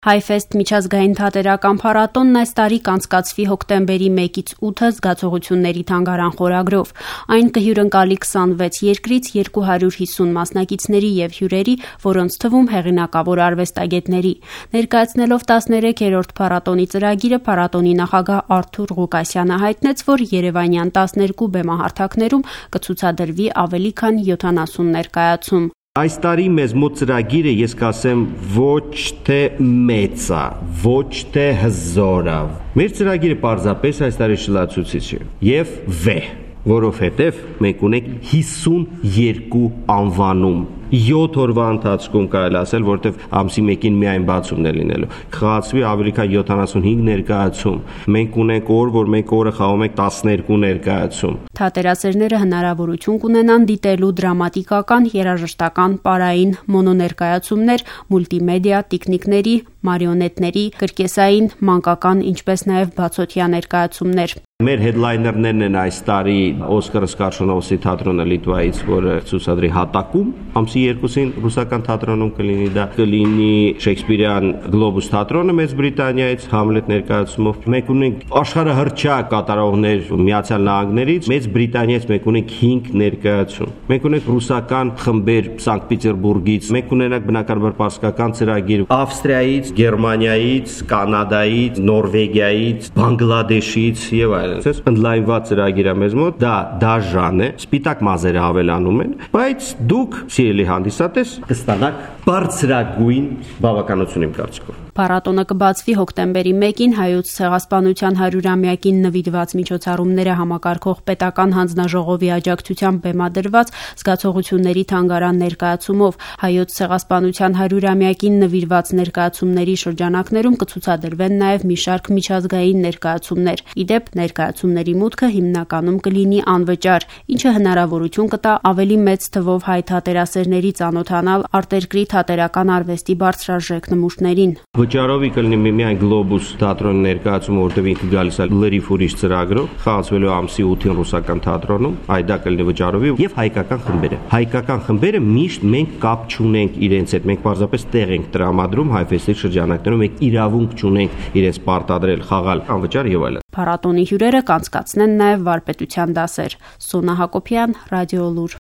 Հայֆեստ միջազգային թատերական փառատոնն այս տարի կանցկացվի հոկտեմբերի 1-ից 8-ը զգացողությունների թանգարան խորագրով։ Այն կհյուրընկալի 26 երկրից 250 մասնակիցների եւ հյուրերի, որոնց թվում հեղինակավոր արվեստագետների։ Ներկայացնելով 13-րդ փառատոնի ծրագիրը, փառատոնի նախագահ Արթուր Ղուկասյանը հայտնեց, որ երևանյան 12 բեմահարթակներում կցուցադրվի ավելի քան 70 ներկայացում։ Այս տարի մեզ մոտ ծրագիրը, ես կասեմ, ոչ թե մեծ է, ոչ թե հզոր է։ Մեր ծրագիրը պարզապես այս տարի շլացուցիչ է եւ վեհ, որովհետեւ մենք ունենք 52 անվանում։ 7 օրվա ընթացքում կարելի ասել, որտեվ ամսի 1-ին միայն բացումն է լինելու։ Կխաղացվի ավելի քան 75 ներկայացում։ Մենք ունենք օր, որ մենք օրը խաղում ենք 12 ներկայացում։ Թատերասերները հնարավորություն կունենան դիտելու դրամատիկական, երաժշտական, պարային, մոնոներկայացումներ, մուլտիմեդիա, տիկնիկների, մարիոնետների, կրկեսային, մանկական, ինչպես նաև բացօթյա ներկայացումներ։ Մեր headliner-ներն են այս տարի Օսկար Սկարշոնովսի թատրոնը Լիտվայից, որը ցուցադրի հատակում, ամսի 2-ին ռուսական թատրոնում կլինի, դա կլինի Շեքսպիրյան Գլոբուս թատրոնը Մեծ Բրիտանիայից Համլետ ներկայացումով։ Մենք ունենք աշխարհահռչակ կատարողներ Միացյալ Նահանգներից, Մեծ Բրիտանիայից մենք ունենք 5 ներկայացում։ Մենք ունենք ռուսական խմբեր Սանկտ Պետերբուրգից, մենք ունենք բնականաբար պարսկական ծրագիր Ավստրիայից, Գերմանիայից, Կանադայից, Նորվեգիայից, Բանգլադեշից եւ այլն։ Այս ընդլայնված ծրագիրը մեզ մոտ դա դաժան է, սպիտակ մազերը հավելանում են, բայց դուք սիրելի հանդիսատես կստանաք բարձրագույն բավականություն իմ կարծիքով։ Փառատոնը կբացվի հոկտեմբերի 1-ին Հայոց ցեղասպանության 100-ամյակին նվիրված միջոցառումները համակարգող պետական հանձնաժողովի աջակցությամբ բեմադրված զգացողությունների թանգարան ներկայացումով։ Հայոց ցեղասպանության 100-ամյակին նվիրված ներկայացումների շրջանակներում կցուցադրվեն նաև մի շարք միջազգային ներկայացումներ։ Ի դեպ, ներկայացումների մուտքը հիմնականում կլինի անվճար, ինչը հնարավորություն կտա ավելի մեծ թվով հայ թատերասերների ծանոթանալ արտերկրի թատերական արվեստի բարձրարժեք նմուշներին։ Վճարովի կլինի միայն Գլոբուս թատրոնի ներկայացումը, որտեղ ինքը գալիս է լրիվ ուրիշ ծրագրով, խաղացվելու ամսի 8-ին ռուսական թատրոնում, այ դա կլինի վճարովի եւ հայկական խմբերը։ Հայկական խմբերը միշտ մենք կապ չունենք իրենց հետ, մենք պարզապես տեղ ենք տրամադրում Հայֆեստի շրջանակներում, մենք իրավունք չունենք իրենց պարտադրել, խաղալ անվճար եւ այլն։ Փառատոնի հյուրերը կանցկացնեն նաև վարպետության դասեր։ Սոնա Հակոբյան, Ռադիոլուր։